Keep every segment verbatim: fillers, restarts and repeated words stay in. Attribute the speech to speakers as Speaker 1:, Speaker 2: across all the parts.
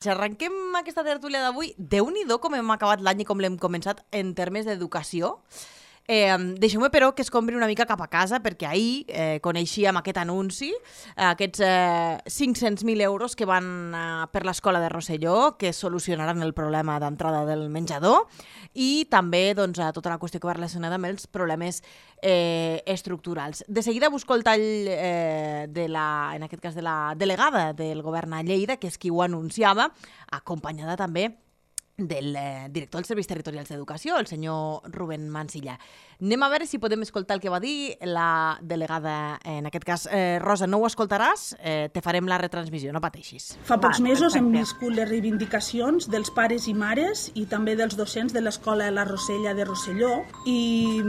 Speaker 1: Si arrenquem aquesta tertúlia d'avui, Déu-n'hi-do com hem acabat l'any i com l'hem començat en termes d'educació. Eh, Deixeu-me, però, que es compri una mica cap a casa, perquè ahir eh, coneixíem aquest anunci, eh, aquests eh, cinc-cents mil euros que van eh, per l'escola de Rosselló, que solucionaran el problema d'entrada del menjador, i també doncs, a tota la qüestió que va relacionada amb els problemes eh, estructurals. De seguida busco el tall, eh, de la, en aquest cas, de la delegada del govern a Lleida, que és qui ho anunciava, acompanyada també del eh, director dels Serveis Territorials d'Educació, el senyor Rubén Mansilla. Anem a veure si podem escoltar el que va dir la delegada, en aquest cas. Eh, Rosa, no ho escoltaràs? Eh, te farem la retransmissió, no pateixis.
Speaker 2: Fa pocs mesos hem viscut les reivindicacions dels pares i mares i també dels docents de l'escola La Rosella de Rosselló, i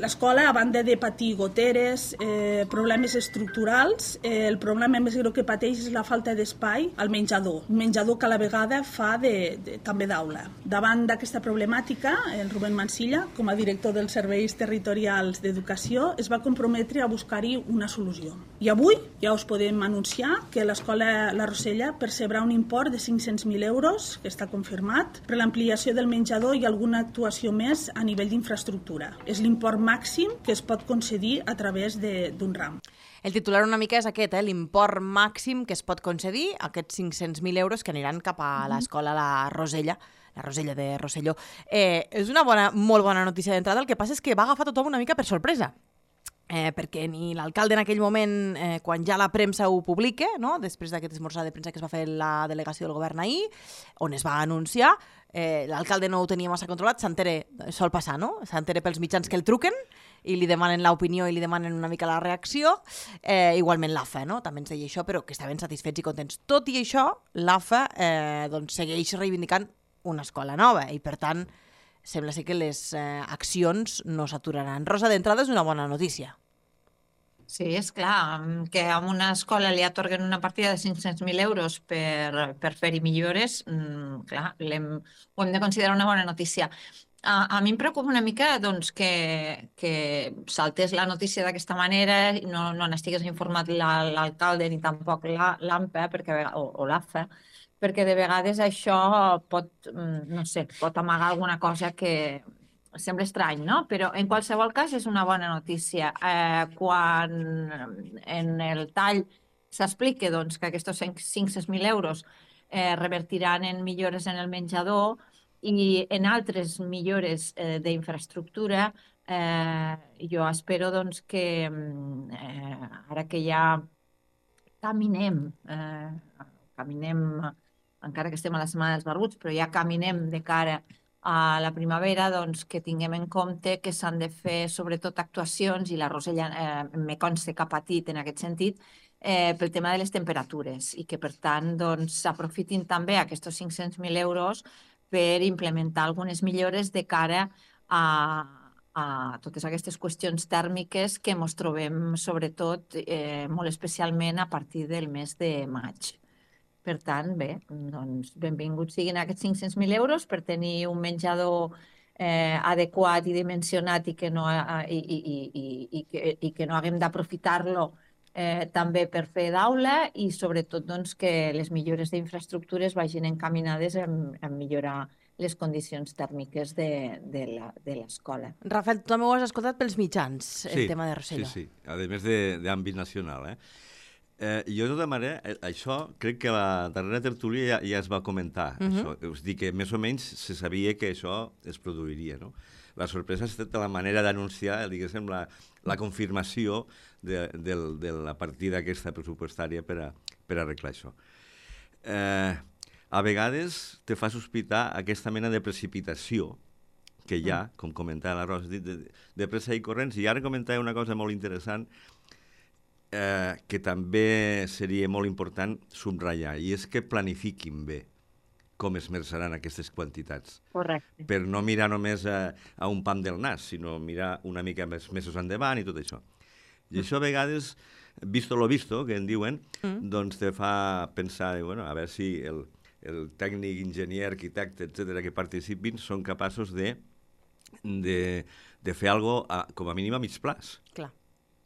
Speaker 2: l'escola, a banda de patir goteres, eh, problemes estructurals, eh, el problema més greu que pateix és la falta d'espai al menjador, un menjador que a la vegada fa de, de, també d'aula. Davant d'aquesta problemàtica, el Rubén Mansilla, com a director dels Serveis Territorials d'Educació, es va comprometre a buscar-hi una solució. I avui ja us podem anunciar que l'escola La Rosella percebrà un import de cinc-cents mil euros, que està confirmat, per l'ampliació del menjador i alguna actuació més a nivell d'infraestructura. És l'import màxim que es pot concedir a través d'un RAM.
Speaker 1: El titular una mica és aquest, eh? L'import màxim que es pot concedir, aquests cinc-cents mil euros que aniran cap a l'escola La Rosella, la Rosella de Rosselló. Eh, és una bona, molt bona notícia d'entrada, el que passa és que va agafar tothom una mica per sorpresa. Eh, perquè ni l'alcalde en aquell moment, eh, quan ja la premsa ho publica, no? Després d'aquest esmorzar de premsa que es va fer la delegació del govern ahir, on es va anunciar, eh, l'alcalde no ho tenia massa controlat, s'entere, sol passar, no? S'entere pels mitjans que el truquen i li demanen l'opinió i li demanen una mica la reacció. Eh, igualment l'A F A, no? També ens deia això, però que estaven satisfets i contents. Tot i això, l'A F A eh, doncs, segueix reivindicant una escola nova i, per tant, sembla ser que les eh, accions no s'aturaran. Rosa, d'entrada és una bona notícia.
Speaker 3: Sí, és clar, que a una escola li atorguen una partida de cinc-cents mil euros per, per fer-hi millores, mm, clar, ho hem de considerar una bona notícia. A, a mi em preocupa una mica doncs, que, que saltés la notícia d'aquesta manera, no, no n'estigués informat l'alcalde ni tampoc l'AMPA o, o l'A F A, perquè de vegades això pot, no sé, pot amagar alguna cosa que sembla estrany, no? Però en qualsevol cas és una bona notícia. Eh, quan en el tall s'explica doncs, que aquests cinc-cents mil euros eh, revertiran en millores en el menjador i en altres millores eh, d'infraestructura, eh, jo espero doncs, que eh, ara que ja caminem, eh, caminem encara que estem a la setmana dels barbuts, però ja caminem de cara a la primavera, doncs que tinguem en compte que s'han de fer sobretot actuacions, i la Rosella eh, me consta que ha patit en aquest sentit, eh, pel tema de les temperatures, i que per tant doncs, s'aprofitin també aquests cinc-cents mil euros per implementar algunes millores de cara a, a totes aquestes qüestions tèrmiques que ens trobem sobretot, eh, molt especialment a partir del mes de maig. Per tant, bé, doncs benvinguts siguin aquests cinc-cents mil euros per tenir un menjador eh, adequat i dimensionat i que no, i, i, i, i, que, i que no haguem d'aprofitar-lo eh, també per fer d'aula, i sobretot doncs, que les millores d'infraestructures vagin encaminades a, a millorar les condicions tèrmiques de, de l'escola.
Speaker 1: Rafael, tu també ho has escoltat pels mitjans, el
Speaker 4: sí,
Speaker 1: tema de Rosselló.
Speaker 4: Sí, sí, a més d'àmbit nacional, eh? Eh, jo, de tota manera, això crec que la darrera tertúlia ja, ja es va comentar. Uh -huh. Això. Us dic que més o menys se sabia que això es produiria, no? La sorpresa ha estat la manera d'anunciar, diguéssim, la, la confirmació de, de, de la partida aquesta pressupostària per, a, per arreglar això. Eh, a vegades te fa sospitar aquesta mena de precipitació que hi ha, com comentava la Rosa, de, de, de pressa i corrents. I ara comentava una cosa molt interessant, Eh, que també seria molt important subratllar, i és que planifiquin bé com es merçaran aquestes quantitats.
Speaker 3: Correcte.
Speaker 4: Per no mirar només a, a un pam del nas, sinó mirar una mica més mesos endavant i tot això. I això a vegades, visto lo visto, que en diuen, mm. doncs te fa pensar, bueno, a veure si el, el tècnic, enginyer, arquitecte, etcètera, que participin són capaços de, de, de fer alguna cosa, com a mínim a mig plaç.
Speaker 1: Clar.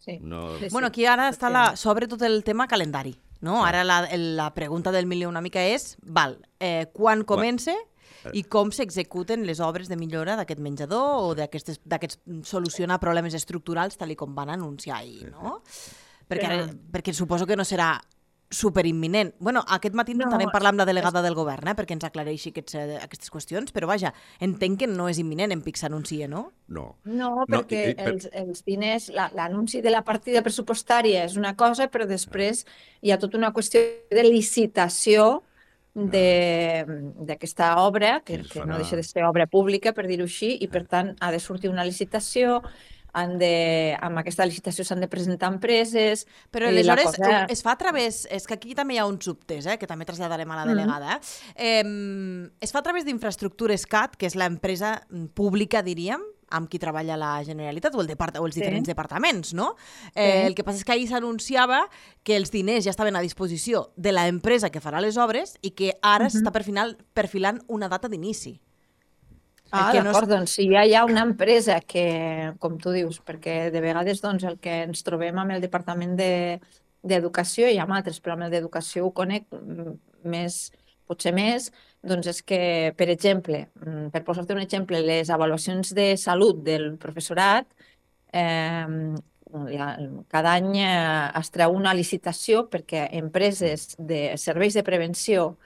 Speaker 3: Sí.
Speaker 4: No...
Speaker 1: Sí, sí. Bueno, aquí ara està la, sobre tot el tema calendari. no? Ara la, la pregunta del milió una mica és, val, eh, quan comença i com s'executen les obres de millora d'aquest menjador o d'aquests solucionar problemes estructurals tal i com van anunciar ahir, no? Perquè, ara, perquè suposo que no serà superimminent. Bueno, aquest matí intentarem no, parlar amb la delegada del govern, eh, perquè ens aclareixi aquests, eh, aquestes qüestions, però vaja, entenc que no és imminent en Pic s'anuncia, no?
Speaker 4: No.
Speaker 3: No, perquè no, i, i, per... els, els diners, l'anunci de la partida pressupostària és una cosa, però després hi ha tota una qüestió de licitació d'aquesta obra, que, que no deixa de ser obra pública, per dir-ho així, i per tant ha de sortir una licitació, han de, amb aquesta licitació s'han de presentar empreses...
Speaker 1: Però aleshores cosa... es fa a través... És que aquí també hi ha un subtès, eh, que també traslladarem a la delegada. Mm. Eh, es fa a través d'Infraestructures C A T, que és l'empresa pública, diríem, amb qui treballa la Generalitat o, el depart o els diferents sí. departaments, no? Eh, sí. El que passa és que ahir s'anunciava que els diners ja estaven a disposició de l'empresa que farà les obres i que ara uh -huh. s'està perfilant, perfilant una data d'inici.
Speaker 3: Ah, d'acord, no... doncs si ja hi ha una empresa que, com tu dius, perquè de vegades doncs, el que ens trobem amb el Departament d'Educació, de, i amb altres, però amb el d'Educació ho conec més, potser més, doncs és que, per exemple, per posar-te un exemple, les avaluacions de salut del professorat, eh, cada any es treu una licitació perquè empreses de serveis de prevenció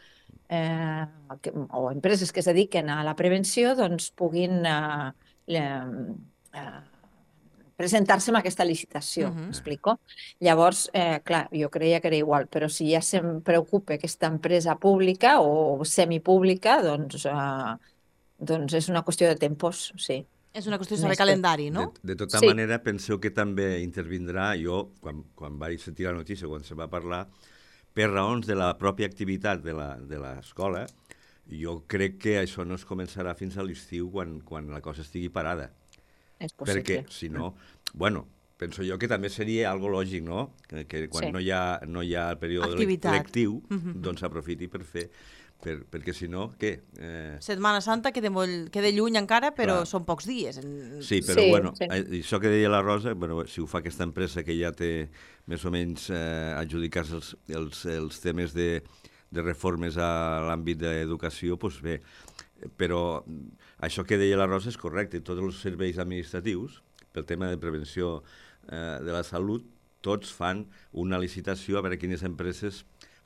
Speaker 3: Eh, que, o empreses que es dediquen a la prevenció doncs puguin eh, eh, presentar-se en aquesta licitació, uh-huh. m'explico? Llavors, eh, clar, jo creia que era igual, però si ja se'm preocupa aquesta empresa pública o semipública, doncs, eh, doncs és una qüestió de tempos, sí.
Speaker 1: És una qüestió de saber calendari, no?
Speaker 4: De, de tota
Speaker 3: sí.
Speaker 4: manera, penseu que també intervindrà, jo, quan, quan vaig sentir la notícia, quan se va parlar, per raons de la pròpia activitat de l'escola, jo crec que això no es començarà fins a l'estiu quan, quan la cosa estigui parada.
Speaker 3: És possible.
Speaker 4: Perquè, si no, bueno, penso jo que també seria algo lògic, no? Que, que quan sí. no, hi ha, no hi ha el període activitat. lectiu, uh-huh. doncs s'aprofiti per fer... Per, perquè si no, què? Eh...
Speaker 1: Setmana Santa queda, molt, queda lluny encara, però Clar. són pocs dies. En...
Speaker 4: Sí, però sí, bueno, sí. això que deia la Rosa, bueno, si ho fa aquesta empresa que ja té més o menys eh, adjudicats els, els, els temes de, de reformes a l'àmbit d'educació, doncs bé, però això que deia la Rosa és correcte. Tots els serveis administratius, pel tema de prevenció eh, de la salut, tots fan una licitació a veure quines empreses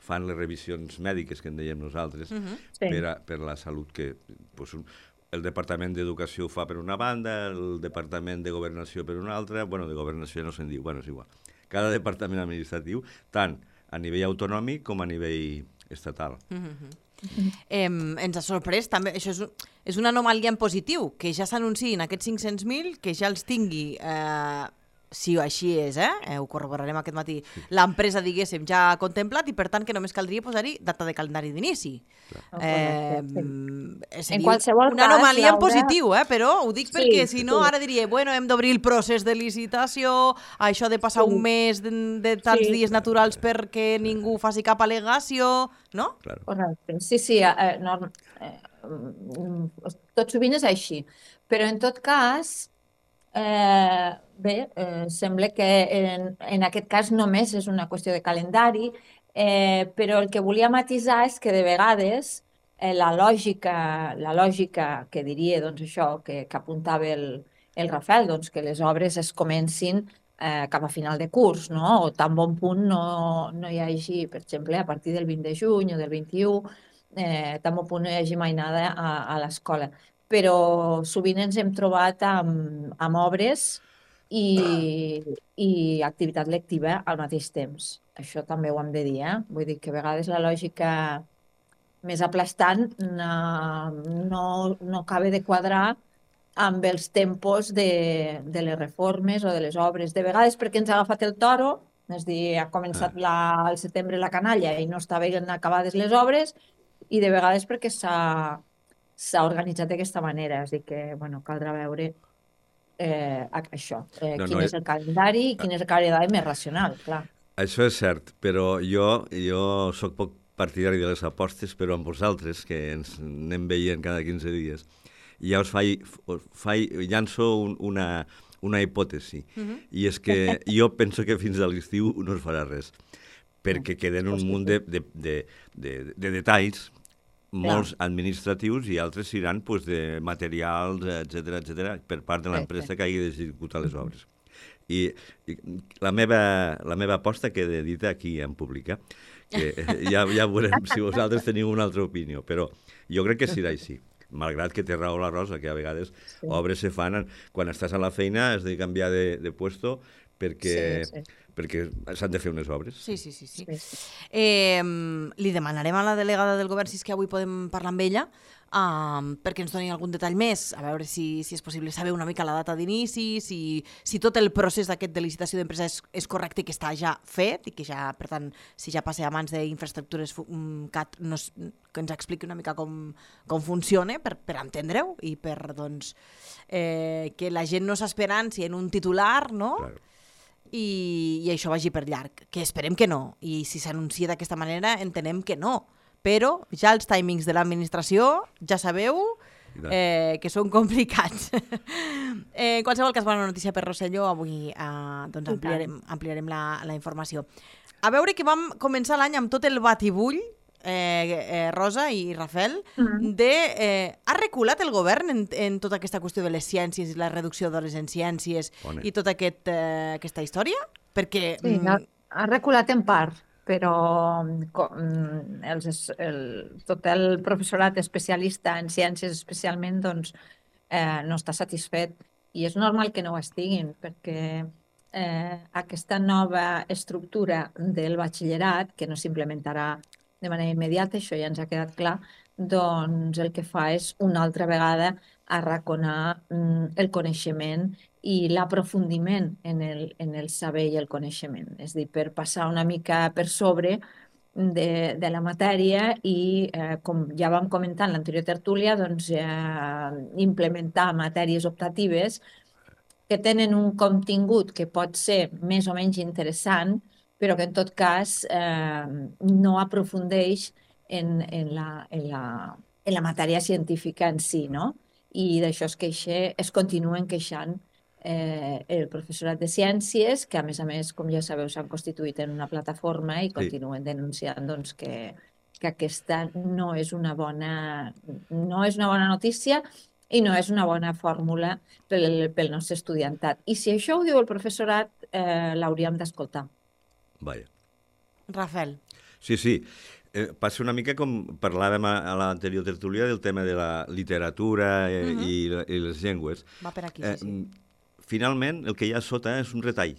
Speaker 4: fan les revisions mèdiques que en dèiem nosaltres uh-huh.
Speaker 3: sí.
Speaker 4: per, a, per la salut que pues, un, el Departament d'Educació ho fa per una banda, el Departament de Governació per una altra, bueno, de Governació no se'n diu, bueno, és igual. Cada departament administratiu, tant a nivell autonòmic com a nivell estatal.
Speaker 1: Uh-huh. Uh-huh. Eh, ens ha sorprès també, això és, és una anomalia en positiu, que ja s'anunciïn aquests cinc-cents mil, que ja els tingui... Eh, si així és, eh? eh ho corroborarem aquest matí, l'empresa, diguéssim, ja ha contemplat i per tant que només caldria posar-hi data de calendari d'inici. Eh,
Speaker 3: en qualsevol
Speaker 1: una
Speaker 3: cas,
Speaker 1: anomalia
Speaker 3: Laura...
Speaker 1: en positiu, eh? Però ho dic perquè
Speaker 3: sí,
Speaker 1: si no
Speaker 3: sí.
Speaker 1: ara diria, bueno, hem d'obrir el procés de licitació, això de passar sí. un mes de, de tants sí. dies naturals perquè ningú faci cap al·legació, no?
Speaker 4: Claro.
Speaker 3: Correcte. Sí, sí, eh, no, eh, tot sovint és així. Però en tot cas... Eh, bé, eh, sembla que en, en aquest cas només és una qüestió de calendari, eh, però el que volia matisar és que de vegades eh, la lògica, la lògica que diria doncs, això que, que apuntava el, el Rafael, doncs, que les obres es comencin eh, cap a final de curs, no? O tan bon punt no, no hi hagi, per exemple, a partir del vint de juny o del vint-i-u, eh, tan bon punt no hi hagi mai nada a, a l'escola. Però sovint ens hem trobat amb, amb obres i, i activitat lectiva al mateix temps. Això també ho hem de dir, eh? Vull dir que a vegades la lògica més aplastant no, no, no acaba de quadrar amb els tempos de, de les reformes o de les obres. De vegades perquè ens ha agafat el toro, és a dir, ha començat la, al setembre la canalla i no estaven acabades les obres, i de vegades perquè s'ha s'ha organitzat d'aquesta manera, és a dir que, bueno, caldrà veure eh, això, eh, no, quin no, és el calendari i quin és el calendari més racional, clar.
Speaker 4: Això és cert, però jo, jo soc poc partidari de les apostes, però amb vosaltres, que ens anem veient cada quinze dies, ja us faig, faig llanço un, una, una hipòtesi, uh-huh. i és que jo penso que fins a l'estiu no es farà res. perquè queden un munt de, de, de, de, de detalls molts
Speaker 3: Clar.
Speaker 4: administratius i altres seran pues, de materials, etcètera, etcètera, per part de l'empresa
Speaker 3: Sí, sí.
Speaker 4: que hagi d'executar les obres. I, i la, meva, la meva aposta queda dita aquí en públic, eh? Que ja, ja veurem si vosaltres teniu una altra opinió, però jo crec que serà així. Malgrat que té raó la Rosa, que a vegades
Speaker 3: Sí.
Speaker 4: obres se fan, en- quan estàs a la feina has de canviar de, de puesto perquè,
Speaker 3: Sí, sí.
Speaker 4: perquè s'han de fer unes obres.
Speaker 1: Sí, sí, sí. sí.
Speaker 3: Sí, sí.
Speaker 1: Eh, li demanarem a la delegada del govern si és que avui podem parlar amb ella um, perquè ens doni algun detall més, a veure si, si és possible saber una mica la data d'inici, si, si tot el procés d'aquest de licitació d'empresa és, és correcte i que està ja fet i que ja, per tant, si ja passa a mans d'infraestructures fu- um, C A T, no, es- que ens expliqui una mica com, com funciona per, per entendre-ho i per doncs, eh, que la gent no s'esperant si en un titular, no?
Speaker 4: Claro.
Speaker 1: I, i això vagi per llarg, que esperem que no, i si s'anuncia d'aquesta manera entenem que no, però ja els timings de l'administració, ja sabeu
Speaker 4: I tant.
Speaker 1: eh, que són complicats. eh, en qualsevol cas, bona notícia per Rosselló, avui eh, doncs ampliarem, ampliarem la, la informació. A veure que vam començar l'any amb tot el batibull, eh, eh, Rosa i Rafael,
Speaker 3: Mm.
Speaker 1: de... Eh, ha reculat el govern en, en tota aquesta qüestió de les ciències i la reducció d'hores en ciències
Speaker 4: Bona.
Speaker 1: i tota aquest, eh, aquesta història? Perquè...
Speaker 3: Sí,
Speaker 1: mm,
Speaker 3: ha, ha reculat en part, però mm, co- mm, els, es- el, tot el professorat especialista en ciències especialment doncs, eh, no està satisfet i és normal que no ho estiguin perquè eh, aquesta nova estructura del batxillerat, que no s'implementarà de manera immediata, això ja ens ha quedat clar, doncs el que fa és una altra vegada arraconar mm, el coneixement i l'aprofundiment en el, en el saber i el coneixement. És a dir, per passar una mica per sobre de, de la matèria i, eh, com ja vam comentar en l'anterior tertúlia, doncs, eh, implementar matèries optatives que tenen un contingut que pot ser més o menys interessant, però que en tot cas eh, no aprofundeix en, en, la, en, la, en la matèria científica en si, no? I d'això es, queixa, es continuen queixant eh, el professorat de ciències, que a més a més, com ja sabeu, s'han constituït en una plataforma i continuen denunciant doncs, que, que aquesta no és una bona, no és una bona notícia i no és una bona fórmula pel, pel nostre estudiantat. I si això ho diu el professorat, eh, l'hauríem d'escoltar.
Speaker 4: Vaja.
Speaker 1: Rafael.
Speaker 4: Sí, sí. Eh, passa una mica com parlàvem a, a l'anterior tertúlia del tema de la literatura eh,
Speaker 1: Mhm.
Speaker 4: i, la- i les llengües.
Speaker 1: Va per aquí,
Speaker 4: Eh,
Speaker 1: sí, sí.
Speaker 4: Finalment, el que hi ha a sota és un retall.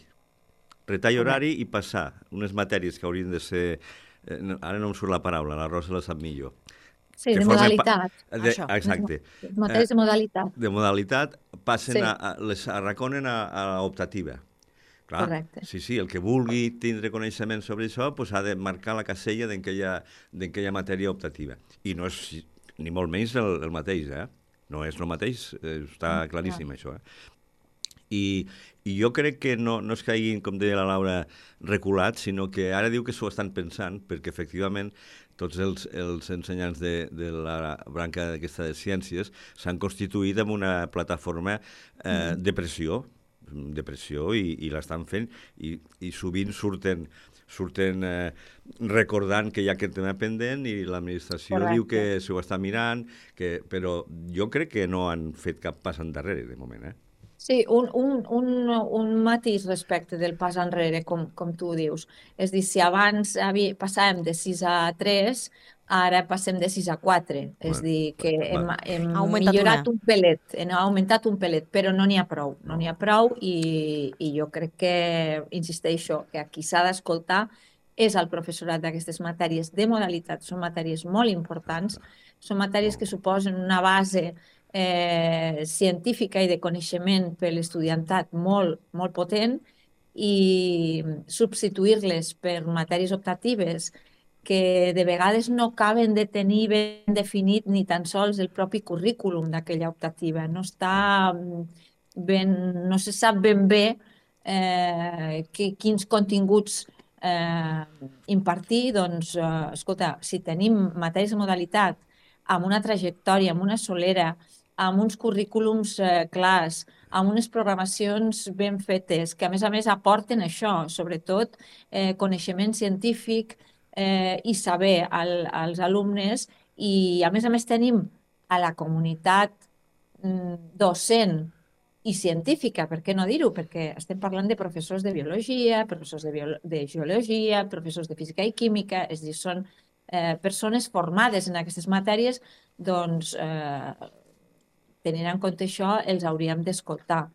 Speaker 4: Retall horari i passar unes matèries que haurien de ser... Eh, no, ara no em surt la paraula, la Rosa la sap millor.
Speaker 3: Sí,
Speaker 4: Que
Speaker 3: de
Speaker 4: formen
Speaker 3: modalitat.
Speaker 4: pa- De,
Speaker 1: Això.
Speaker 4: exacte.
Speaker 3: Matèries de modalitat.
Speaker 4: De modalitat passen
Speaker 3: Sí.
Speaker 4: a, a, les arraconen a, a l'optativa. Clar,
Speaker 3: Correcte.
Speaker 4: sí, sí, el que vulgui tindre coneixement sobre això pues, ha de marcar la casella d'en què hi ha, d'en què hi ha matèria optativa. I no és ni molt menys el, el mateix, eh? No és el mateix, eh, està claríssim això, eh? I, i jo crec que no, no és que hagin, com deia la Laura, reculat, sinó que ara diu que s'ho estan pensant, perquè efectivament tots els, els ensenyants de, de la branca d'aquesta de ciències s'han constituït en una plataforma eh, de pressió, de pressió i, i l'estan fent i, i sovint surten surten eh, recordant que hi ha aquest tema pendent i l'administració
Speaker 3: Correcte.
Speaker 4: diu que s'ho està mirant, que, però jo crec que no han fet cap pas endarrere de moment, eh?
Speaker 3: Sí, un, un, un, un matís respecte del pas enrere, com, com tu dius. És dir, si abans havia, passàvem de sis a tres, ara passem de sis a quatre. És
Speaker 4: Bueno,
Speaker 3: dir, que
Speaker 4: va-
Speaker 3: hem,
Speaker 4: va.
Speaker 3: hem
Speaker 1: Ha augmentat
Speaker 3: millorat
Speaker 1: una.
Speaker 3: un pelet, hem augmentat un pelet, però no n'hi ha prou. No
Speaker 4: No.
Speaker 3: n'hi ha prou i, i jo crec que, insisteixo, que aquí s'ha d'escoltar és el professorat d'aquestes matèries de modalitat. Són matèries molt importants, són matèries que suposen una base eh, científica i de coneixement per l'estudiantat molt, molt potent i substituir-les per matèries optatives que de vegades no acaben de tenir ben definit ni tan sols el propi currículum d'aquella optativa. No està ben, no se sap ben bé eh, que, quins continguts eh, impartir. Doncs, eh, escolta, si tenim matèries de modalitat amb una trajectòria, amb una solera, amb uns currículums eh, clars, amb unes programacions ben fetes, que a més a més aporten això, sobretot eh, coneixement científic eh, i saber al, als alumnes, i a més a més tenim a la comunitat mm, docent i científica, per què no dir-ho? Perquè estem parlant de professors de biologia, professors de, bio de geologia, professors de física i química, és a dir, són eh, persones formades en aquestes matèries, doncs, eh, tenint en compte això, els hauríem d'escoltar.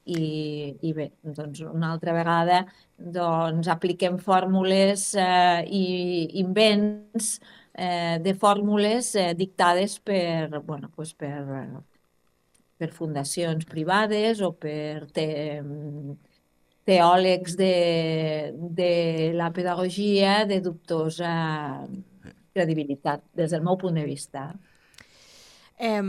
Speaker 3: I, I bé, doncs una altra vegada doncs, apliquem fórmules eh, i invents eh, de fórmules eh, dictades per, bueno, pues per, per fundacions privades o per te, teòlegs de, de la pedagogia de dubtosa credibilitat, des del meu punt de vista.
Speaker 1: Eh,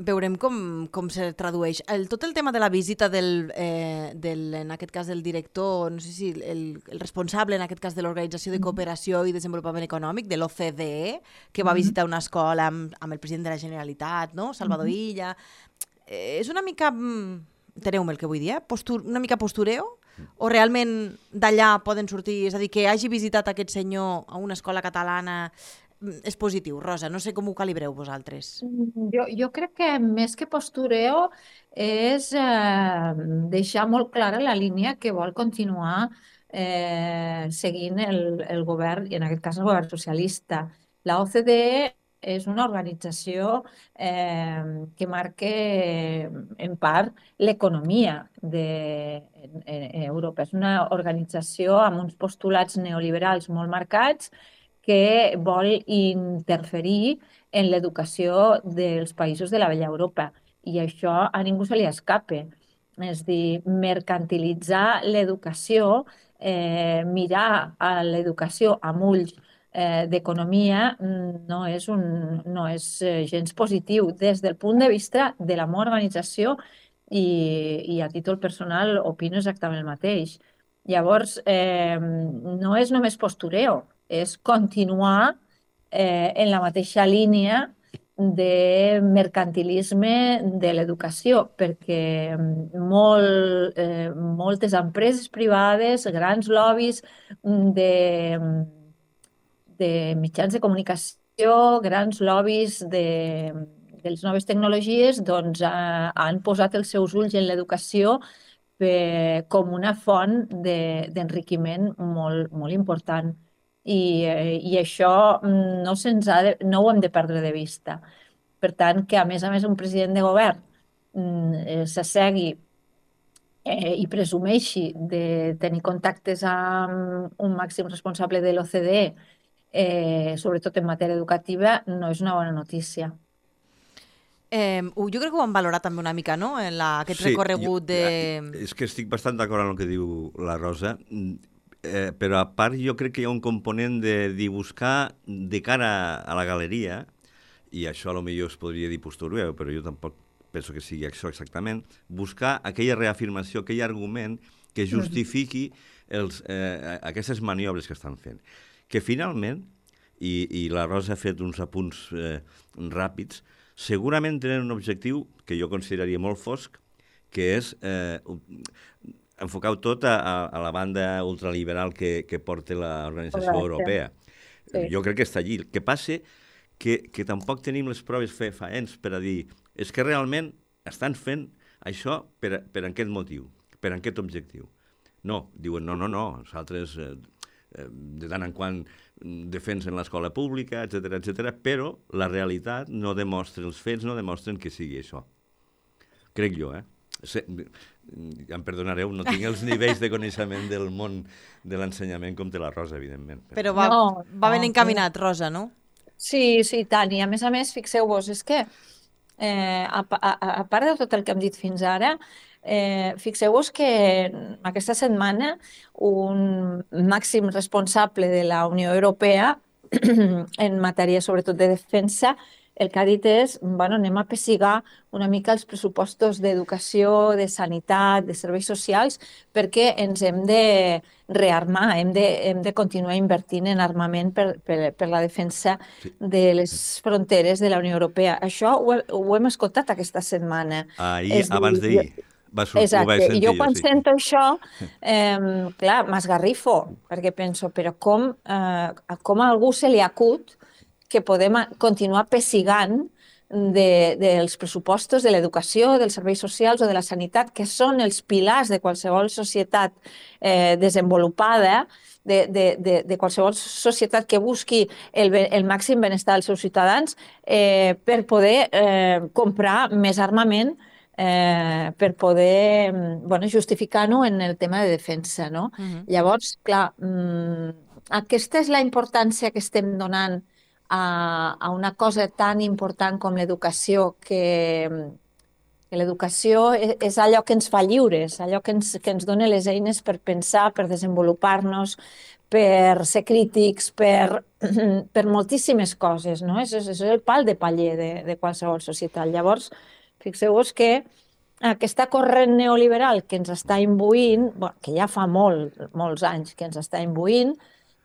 Speaker 1: veurem com, com se tradueix. El, tot el tema de la visita del, eh, del, en aquest cas del director, no sé si el, el responsable en aquest cas de l'Organització de Cooperació i Desenvolupament Econòmic, de l'O C D E, que va visitar una escola amb, amb el president de la Generalitat, no? Salvador Illa. Eh, és una mica... Enteneu-me el que vull dir, eh? Postur, una mica postureo? O realment d'allà poden sortir... És a dir, que hagi visitat aquest senyor a una escola catalana és positiu? Rosa, no sé com ho calibreu vosaltres.
Speaker 3: Jo, jo crec que més que postureo és eh, deixar molt clara la línia que vol continuar eh, seguint el, el govern, i en aquest cas el govern socialista. La O C D E és una organització eh, que marca en part l'economia d'Europa. És una organització amb uns postulats neoliberals molt marcats que vol interferir en l'educació dels països de la vella Europa. I això a ningú se li escape. És dir, mercantilitzar l'educació, eh, mirar a l'educació amb ulls eh, d'economia no és, un, no és gens positiu des del punt de vista de la meva organització i, i a títol personal opino exactament el mateix. Llavors, eh, no és només postureo, és continuar eh, en la mateixa línia de mercantilisme de l'educació, perquè molt, eh, moltes empreses privades, grans lobbies de, de mitjans de comunicació, grans lobbies de, de les noves tecnologies, doncs eh, han posat els seus ulls en l'educació eh, com una font d'enriquiment de, molt, molt important. I, i això no, ha de, no ho hem de perdre de vista. Per tant, que a més a més un president de govern eh, s'assegui eh, i presumeixi de tenir contactes amb un màxim responsable de l'O C D E, eh, sobretot en matèria educativa, no és una bona notícia.
Speaker 1: Eh, jo crec que ho vam valorar també una mica, no?, en la, aquest sí, recorregut jo, de...
Speaker 4: És que estic bastant d'acord amb el que diu la Rosa, eh, però a part jo crec que hi ha un component de, de buscar de cara a la galeria, i això a lo millor es podria dir postureo, però jo tampoc penso que sigui això exactament, buscar aquella reafirmació, aquell argument que justifiqui els, eh, aquestes maniobres que estan fent. Que finalment, i, i la Rosa ha fet uns apunts eh, ràpids, segurament tenen un objectiu que jo consideraria molt fosc, que és eh, enfocar tot a, a la banda ultraliberal que, que porta l'Organització Europea. Sí. Jo crec que està allí. El que passa que, que tampoc tenim les proves fefaents per a dir és que realment estan fent això per, per aquest motiu, per aquest objectiu. No, diuen no, no, no, nosaltres eh, de tant en quant defensen l'escola pública, etcètera, etcètera, però la realitat no demostra, els fets no demostren que sigui això. Crec jo, eh? Se, ja em perdonareu, no tinc els nivells de coneixement del món de l'ensenyament com té la Rosa, evidentment.
Speaker 1: Però va, no, va ben encaminat, Rosa, no?
Speaker 3: Sí, sí, tant. I a més a més, fixeu-vos, és que eh, a, a, a part de tot el que hem dit fins ara, Eh, fixeu-vos que aquesta setmana un màxim responsable de la Unió Europea en matèria sobretot de defensa el que ha dit és, bueno, anem a pessigar una mica els pressupostos d'educació, de sanitat, de serveis socials, perquè ens hem de rearmar, hem de, hem de continuar invertint en armament per, per, per la defensa
Speaker 4: Sí.
Speaker 3: de les fronteres de la Unió Europea. Això ho, he, ho hem escoltat aquesta setmana.
Speaker 4: Ahir,
Speaker 3: És dir,
Speaker 4: abans d'ahir, va sortir, ho
Speaker 3: Exacte,
Speaker 4: vaig
Speaker 3: i
Speaker 4: sentir
Speaker 3: jo
Speaker 4: jo,
Speaker 3: quan
Speaker 4: sí.
Speaker 3: sento això, eh, clar, m'esgarrifo, perquè penso, però com, eh, com a algú se li acut que podem a- continuar pessigant de, dels pressupostos de l'educació, dels serveis socials o de la sanitat, que són els pilars de qualsevol societat eh, desenvolupada, de, de, de, de qualsevol societat que busqui el, be- el màxim benestar dels seus ciutadans, eh, per poder eh, comprar més armament, eh, per poder mm, bueno, justificar-ho en el tema de defensa. No?
Speaker 1: Mhm.
Speaker 3: Llavors, clar, mm, aquesta és la importància que estem donant a, a una cosa tan important com l'educació, que, que l'educació és, és allò que ens fa lliures, allò que ens, que ens dona les eines per pensar, per desenvolupar-nos, per ser crítics, per, per moltíssimes coses, no? És, és el pal de paller de, de qualsevol societat. Llavors, fixeu-vos que aquesta corrent neoliberal que ens està imbuint, bueno, que ja fa molt, molts anys que ens està imbuint,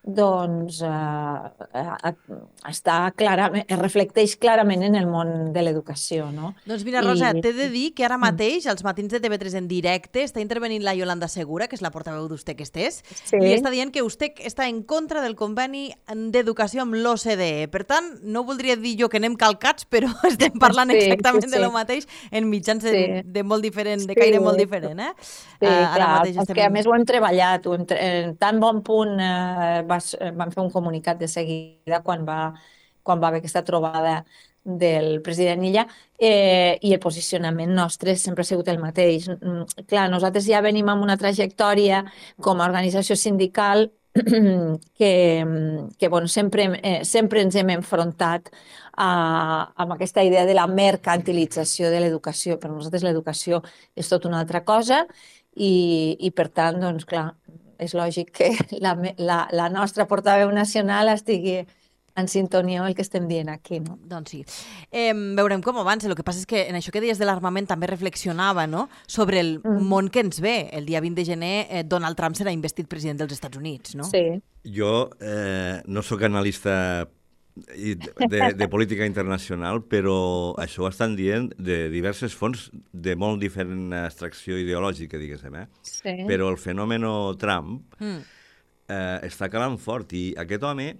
Speaker 3: doncs eh, eh, està clarament, es reflecteix clarament en el món de l'educació, no?
Speaker 1: Doncs mira, Rosa,
Speaker 3: I-
Speaker 1: t'he de dir que ara
Speaker 3: Mm.
Speaker 1: mateix, als matins de T V tres en directe, està intervenint la Yolanda Segura, que és la portaveu d'U S T E C Estés,
Speaker 3: Sí.
Speaker 1: i està dient que U S T E C està en contra del conveni d'educació amb l'O C D E. Per tant, no voldria dir jo que anem calcats, però estem parlant
Speaker 3: Sí,
Speaker 1: exactament
Speaker 3: sí,
Speaker 1: de
Speaker 3: sí.
Speaker 1: lo mateix en mitjans de,
Speaker 3: Sí.
Speaker 1: de molt diferent, de
Speaker 3: Sí.
Speaker 1: caire molt diferent, eh?
Speaker 3: Sí,
Speaker 1: Eh, ara
Speaker 3: clar,
Speaker 1: mateix
Speaker 3: és
Speaker 1: estem...
Speaker 3: que a més ho hem treballat, ho hem tre... en tan bon punt eh, vas, eh, vam fer un comunicat de seguida quan va, quan va haver aquesta trobada del president Illa, eh, i el posicionament nostre sempre ha sigut el mateix. Mm, Clar, nosaltres ja venim amb una trajectòria com a organització sindical que, que bueno, sempre, eh, sempre ens hem enfrontat a, amb aquesta idea de la mercantilització de l'educació. Per nosaltres l'educació és tot una altra cosa i, i per tant, doncs clar, és lògic que la, me- la, la nostra portaveu nacional estigui en sintonia amb el que estem dient aquí, no?
Speaker 1: Doncs sí. Eh, veurem com avança. El que passa és que en això que deies de l'armament també reflexionava, no?, sobre el
Speaker 3: Mm.
Speaker 1: món que ens ve. El dia vint de gener eh, Donald Trump serà investit president dels Estats Units, no?
Speaker 3: Sí.
Speaker 4: Jo eh, no sóc analista i de, de política internacional, però això ho estan dient de diverses fonts de molt diferent extracció ideològica, diguéssim, eh?
Speaker 3: Sí.
Speaker 4: Però el fenomen Trump
Speaker 1: Mm.
Speaker 4: eh, està calant fort i aquest home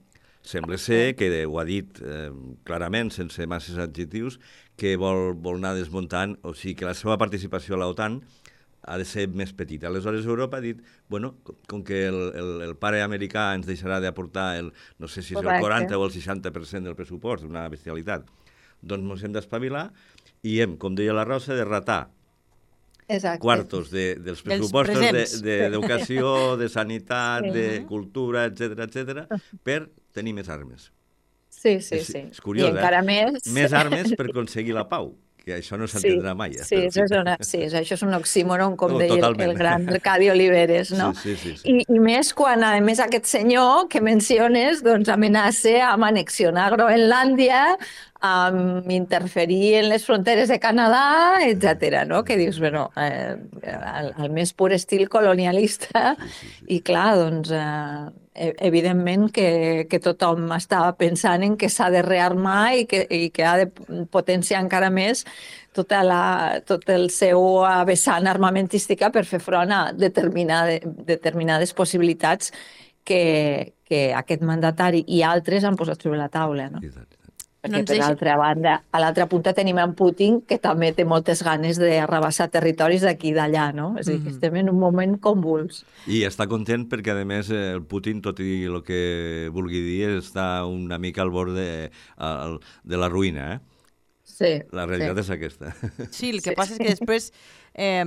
Speaker 4: sembla ser que ho ha dit eh, clarament, sense masses adjectius, que vol, vol anar desmuntant, o sigui que la seva participació a l'OTAN ha de ser més petita. Aleshores Europa ha dit, bueno, com, com que el, el, el pare americà ens deixarà d'aportar el, no sé si és
Speaker 3: Correcte.
Speaker 4: el quaranta o el seixanta per cent del pressupost, una bestialitat, doncs ens hem d'espavilar i hem, com deia la Rosa, de ratar
Speaker 3: Exacte.
Speaker 4: quartos de, dels
Speaker 1: Dels
Speaker 4: pressupostos
Speaker 1: presents.
Speaker 4: d'educació, de, de sanitat,
Speaker 3: Sí.
Speaker 4: de cultura, etcètera, etcètera, per tenir més armes.
Speaker 3: Sí, sí,
Speaker 4: És-
Speaker 3: sí.
Speaker 4: és curiós,
Speaker 3: I encara
Speaker 4: eh?
Speaker 3: més...
Speaker 4: Més armes per aconseguir la pau, que això no s'entendrà
Speaker 3: sí,
Speaker 4: mai. Eh?
Speaker 3: Sí,
Speaker 4: però
Speaker 3: això és, una, sí, això és un oxímoron, com
Speaker 4: No,
Speaker 3: deia el,
Speaker 4: totalment.
Speaker 3: el gran Arcadi Oliveres, no?
Speaker 4: Sí, sí, sí, sí.
Speaker 3: I, I més quan, a més, aquest senyor que menciones doncs, amenaça amb annexionar Groenlàndia, amb interferir en les fronteres de Canadà, etcètera, no? Que dius, bueno, eh, el, el més pur estil colonialista, i clar, doncs, eh, evidentment que, que tothom estava pensant en que s'ha de rearmar i que, i que ha de potenciar encara més tota la, tot el seu vessant armamentística per fer front a determinade, determinades possibilitats que, que aquest mandatari i altres han posat sobre la taula, no?
Speaker 4: I tant, i tant.
Speaker 3: Perquè,
Speaker 1: No ens
Speaker 3: per
Speaker 1: deixa-
Speaker 3: l'altra banda, a l'altra punta tenim en Putin, que també té moltes ganes d'arrabassar territoris d'aquí i d'allà, no? És a dir, que
Speaker 1: Mhm.
Speaker 3: estem en un moment convuls.
Speaker 4: I està content perquè, a més, eh, el Putin, tot i el que vulgui dir, està una mica al bord de, al- de la ruïna, eh?
Speaker 3: Sí.
Speaker 4: La realitat
Speaker 3: sí.
Speaker 4: és aquesta.
Speaker 1: Sí, el que
Speaker 3: Sí,
Speaker 1: passa és que després eh,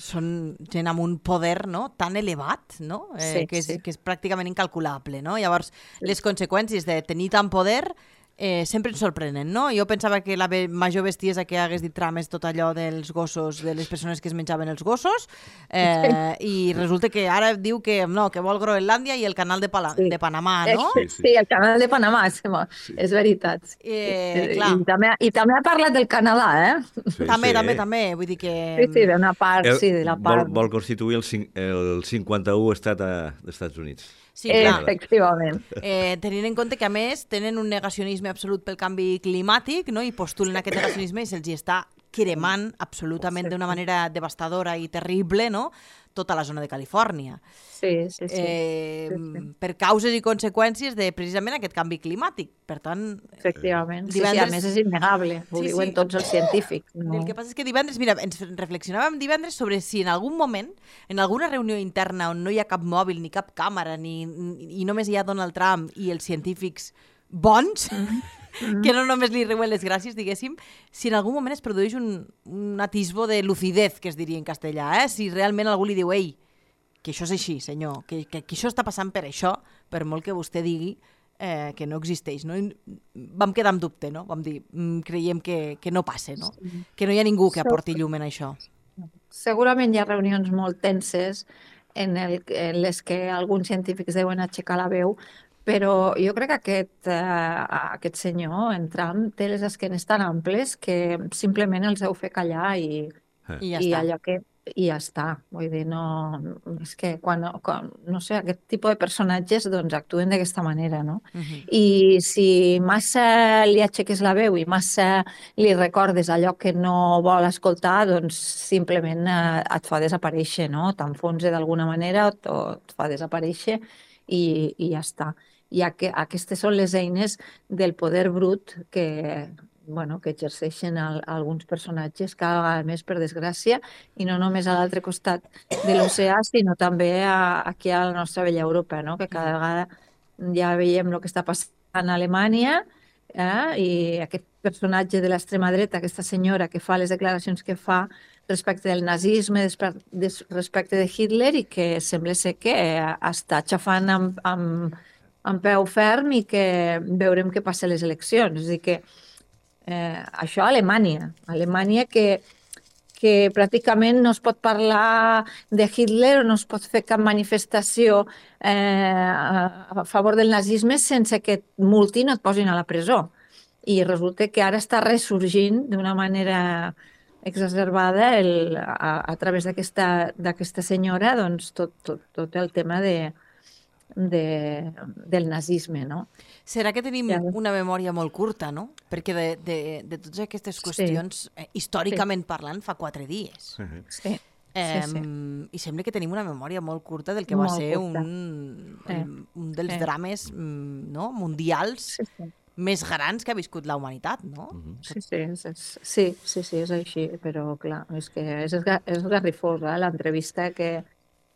Speaker 1: són gent amb un poder, no?, tan elevat, no?, eh,
Speaker 3: Sí,
Speaker 1: que, és,
Speaker 3: sí.
Speaker 1: que és pràcticament incalculable, no? Llavors, les conseqüències de tenir tant poder eh, sempre ens sorprenen, no? Jo pensava que la be major bestiesa que hagués dit Trump és tot allò dels gossos, de les persones que es menjaven els gossos, eh, i resulta que ara diu que no, que vol Groenlàndia i el canal de, Pala
Speaker 3: Sí.
Speaker 1: de Panamà, no?
Speaker 3: Sí, sí, el canal de Panamà, sí, sí. És veritat.
Speaker 1: Eh,
Speaker 3: I,
Speaker 1: clar.
Speaker 3: i, també, I també ha parlat del Canadà, eh?
Speaker 4: Sí,
Speaker 1: També,
Speaker 4: sí.
Speaker 1: també, també, vull dir que...
Speaker 3: Sí, sí, d'una part,
Speaker 4: El,
Speaker 3: sí, de la
Speaker 4: vol,
Speaker 3: part...
Speaker 4: vol constituir el, cin- el cinquanta-u estat a, dels Estats Units.
Speaker 1: Sí, clar.
Speaker 3: Efectivament.
Speaker 1: Eh, tenint en compte que, a més, tenen un negacionisme absolut pel canvi climàtic, no? I postulen aquest negacionisme i se'ls hi està cremant absolutament d'una manera devastadora i terrible, no? Tota la zona de Califòrnia.
Speaker 3: Sí, sí, sí.
Speaker 1: Eh,
Speaker 3: sí, sí.
Speaker 1: Per causes i conseqüències de precisament aquest canvi climàtic. Per tant,
Speaker 3: Efectivament. Sí,
Speaker 1: divendres-
Speaker 3: sí, a més és innegable. Ho
Speaker 1: Sí,
Speaker 3: diuen
Speaker 1: sí.
Speaker 3: tots els científics. No?
Speaker 1: el que passa és que divendres, mira, ens reflexionàvem divendres sobre si en algun moment, en alguna reunió interna on no hi ha cap mòbil, ni cap càmera, ni, ni, i només hi ha Donald Trump i els científics bons, mm. que no només li riuen les gràcies, diguéssim, si en algun moment es produeix un, un atisbo de lucidez, que es diria en castellà, eh? Si realment algú li diu, ei, que això és així, senyor, que, que, que això està passant per això, per molt que vostè digui eh, que no existeix. No? I vam quedar amb dubte, no? Vam dir, mm, creiem que, que no passa, no? Que no hi ha ningú que aporti llum en això.
Speaker 3: Segurament hi ha reunions molt tenses en, el, en les que alguns científics deuen aixecar la veu, però jo crec que aquest, uh, aquest senyor, en Trump, té les esquenes tan amples que simplement els deu fer callar i,
Speaker 1: I ja
Speaker 3: i
Speaker 1: està.
Speaker 3: allò que i ja està. Vull dir, no... És que quan, quan no sé, aquest tipus de personatges doncs actuen d'aquesta manera, no?
Speaker 1: Uh -huh.
Speaker 3: I si massa li aixeques la veu i massa li recordes allò que no vol escoltar, doncs simplement eh, et fa desaparèixer, no? T'enfonsa d'alguna manera o, o et fa desaparèixer i, i ja està. I que, aquestes són les eines del poder brut que, bueno, que exerceixen el, alguns personatges cada vegada més, per desgràcia, i no només a l'altre costat de l'oceà, sinó també a, aquí a la nostra bella Europa, no? Que cada vegada ja veiem el que està passant a Alemanya, eh? I aquest personatge de l'extrema dreta, aquesta senyora que fa les declaracions que fa respecte del nazisme, respecte de Hitler, i que sembla ser que està xafant amb, amb, amb peu ferm i que veurem què passa a les eleccions. És a dir que Eh, això a Alemanya. Alemanya que, que pràcticament no es pot parlar de Hitler o no es pot fer cap manifestació eh, a, a favor del nazisme sense que et multin o et posin a la presó. I resulta que ara està ressorgint d'una manera exacerbada el, a, a través d'aquesta senyora doncs, tot, tot, tot el tema de, de, del nazisme, no?
Speaker 1: Serà que tenim
Speaker 3: Ja.
Speaker 1: una memòria molt curta, no? Perquè de, de, de totes aquestes qüestions, eh, històricament parlant, fa quatre dies.
Speaker 3: Sí,
Speaker 1: Eh,
Speaker 3: sí, sí.
Speaker 1: I sembla que tenim una memòria molt curta del que va
Speaker 3: Molt
Speaker 1: ser
Speaker 3: curta.
Speaker 1: un,
Speaker 3: Sí.
Speaker 1: un, un dels
Speaker 3: Sí.
Speaker 1: drames mm, no? mundials
Speaker 3: Sí, sí.
Speaker 1: més grans que ha viscut la humanitat, no?
Speaker 3: Sí, sí, és, és, sí, sí, sí, és així, però clar, és que és, esga- és esgarrifosa l'entrevista que,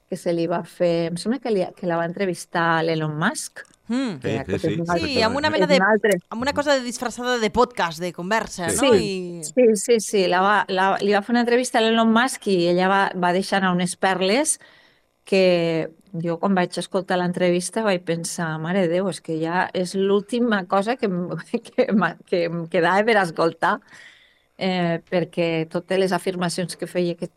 Speaker 3: que se li va fer, em sembla que, li, que la va entrevistar l'Elon Musk.
Speaker 1: Mm.
Speaker 4: Sí,
Speaker 3: que
Speaker 4: sí,
Speaker 3: aquest
Speaker 4: sí.
Speaker 3: és un altre-
Speaker 1: Sí, amb una
Speaker 3: és
Speaker 1: mena de,
Speaker 3: un altre.
Speaker 1: amb una cosa de disfressada de podcast, de conversa,
Speaker 4: Sí.
Speaker 1: no?
Speaker 3: Sí,
Speaker 1: I...
Speaker 3: sí, sí, sí. La va, la, li va fer una entrevista a l'Elon Musk i ella va, va deixar anar unes perles que jo quan vaig escoltar l'entrevista vaig pensar, mare de Déu, és que ja és l'última cosa que, em- que, m'ha- que em quedava per escoltar, eh, perquè totes les afirmacions que feia aquest,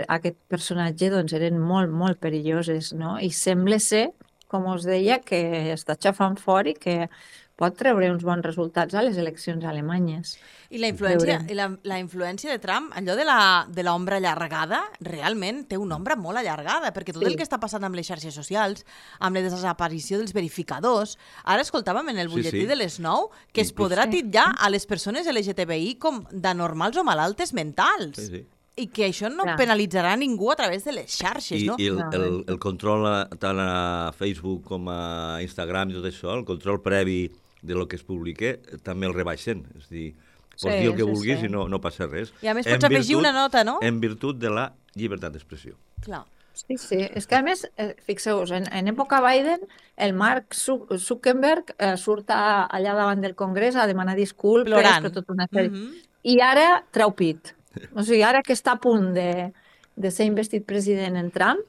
Speaker 3: aquest personatge doncs, eren molt, molt perilloses, no? I sembla ser, com us deia, que està xafant fora i que pot treure uns bons resultats a les eleccions alemanyes.
Speaker 1: I la influència,
Speaker 3: Veurem.
Speaker 1: i la, la influència de Trump, allò de la, de l'ombra allargada, realment té una ombra molt allargada, perquè tot
Speaker 3: Sí.
Speaker 1: el que està passant amb les xarxes socials, amb la desaparició dels verificadors, ara escoltàvem en el
Speaker 4: Sí,
Speaker 1: butlletí
Speaker 4: sí.
Speaker 1: de les nou que es
Speaker 4: Inclús-
Speaker 1: podrà
Speaker 3: Sí.
Speaker 1: titllar a les persones L G T B I com d'anormals o malaltes mentals.
Speaker 4: Sí, sí.
Speaker 1: I que això no
Speaker 3: Clar.
Speaker 1: penalitzarà ningú a través de les xarxes,
Speaker 4: I,
Speaker 1: no?
Speaker 4: i el,
Speaker 3: No,
Speaker 4: el, el control a, tant a Facebook com a Instagram i tot això, el control previ de lo que es publica, també el rebaixen. És a dir, pots
Speaker 3: Sí,
Speaker 4: dir el que
Speaker 3: sí,
Speaker 4: vulguis
Speaker 3: sí.
Speaker 4: i no, no passa res.
Speaker 1: I a més
Speaker 4: En
Speaker 1: pots afegir una nota, no?
Speaker 4: En virtut de la llibertat d'expressió.
Speaker 1: Clar.
Speaker 3: Sí, sí. És que, a més, eh, fixeu-vos, en, en època Biden, el Mark Zu- Zuckerberg eh, surt a, allà davant del Congrés a demanar disculpes
Speaker 1: Plorant.
Speaker 3: per tota una sèrie.
Speaker 1: Mhm.
Speaker 3: I ara treu pit. O sigui, ara que està a punt de, de ser investit president en Trump,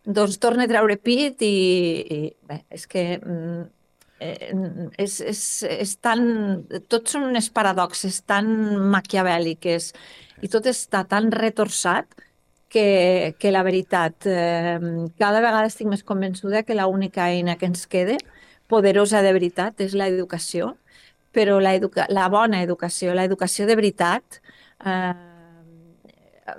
Speaker 3: doncs torna a treure pit i, i bé, és que mm, eh, és, és, és tan... Tots són unes paradoxes tan maquiavèl·liques i tot està tan retorçat que, que la veritat, eh, cada vegada estic més convençuda que l'única eina que ens queda, poderosa de veritat, és l'educació, però la, educa la bona educació, l'educació de veritat, eh,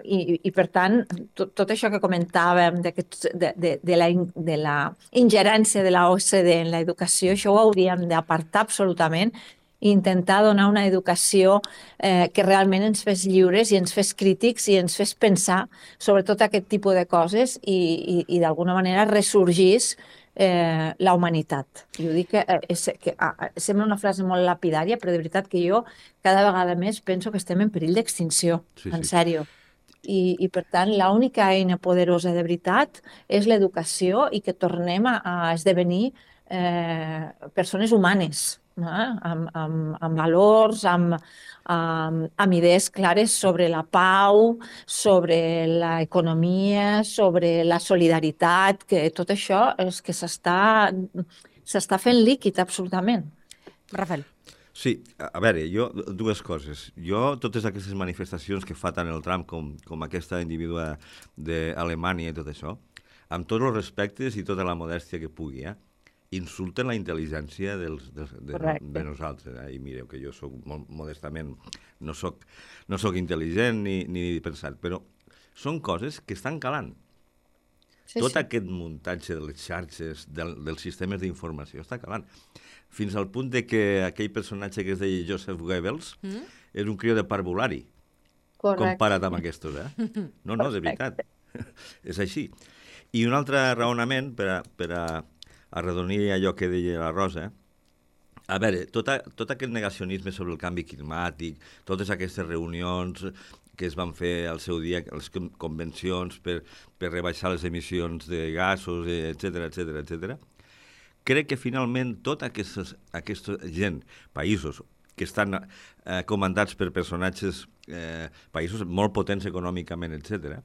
Speaker 3: i, i per tant, tot, tot això que comentàvem de, de, de, de, la, de la ingerència de la O C D en l'educació, això ho hauríem d'apartar absolutament i intentar donar una educació eh, que realment ens fes lliures i ens fes crítics i ens fes pensar sobre tot aquest tipus de coses i, i, i d'alguna manera ressorgís eh, la humanitat. Jo dic que, eh, és, que ah, sembla una frase molt lapidària, però de veritat que jo cada vegada més penso que estem en perill d'extinció,
Speaker 4: Sí,
Speaker 3: en
Speaker 4: sí.
Speaker 3: sèrio. I, i per tant, l'única eina poderosa de veritat és l'educació i que tornem a, a esdevenir eh, persones humanes, eh? amb, amb, amb valors, amb, amb, amb idees clares sobre la pau, sobre l'economia, sobre la solidaritat, que tot això és que s'està s'està fent líquid absolutament.
Speaker 1: Rafael.
Speaker 4: Sí, a a veure, jo, dues coses. Jo, totes aquestes manifestacions que fa tant el Trump com, com aquesta individua d'Alemanya i tot això, amb tots els respectes i tota la modèstia que pugui, eh? Insulten la intel·ligència dels, dels, de, de nosaltres. Eh? I mireu que jo soc molt modestament, no soc, no soc intel·ligent ni, ni pensat, però són coses que estan calant.
Speaker 3: Sí,
Speaker 4: Tot
Speaker 3: sí.
Speaker 4: aquest muntatge de les xarxes, del, dels sistemes d'informació, està calant. Fins al punt de que aquell personatge que es deia Joseph Goebbels mm? és un crió de parvulari,
Speaker 3: Correcte.
Speaker 4: comparat amb aquestos, eh? No, no, de veritat. És així. I un altre raonament, per a, per a arredonir allò que deia la Rosa, a veure, tot, a, tot aquest negacionisme sobre el canvi climàtic, totes aquestes reunions que es van fer al seu dia, les convencions per, per rebaixar les emissions de gasos, etcètera, etcètera, etcètera, crec que finalment tota aquesta, aquesta gent, països que estan eh, comandats per personatges, eh, països molt potents econòmicament, etcètera,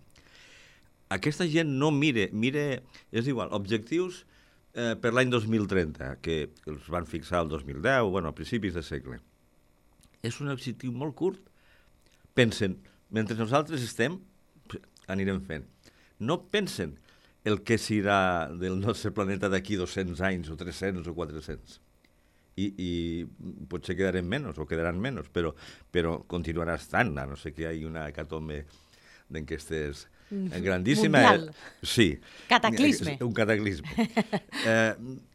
Speaker 4: aquesta gent no mire, mire, és igual, objectius eh, per l'any dos mil trenta, que els van fixar el dos mil deu, bueno, a principis de segle. És un objectiu molt curt. Pensen, mentre nosaltres estem, anirem fent. No pensen el que serà del nostre planeta d'aquí dos-cents anys, o tres-cents, o quatre-cents. I, i potser quedarem menys, o quedaran menys, però, però continuarà estant, a no sé que hi hagi una hecatombe d'enquestes grandíssima.
Speaker 1: Mundial.
Speaker 4: Sí.
Speaker 1: Cataclisme.
Speaker 4: Un cataclisme. eh,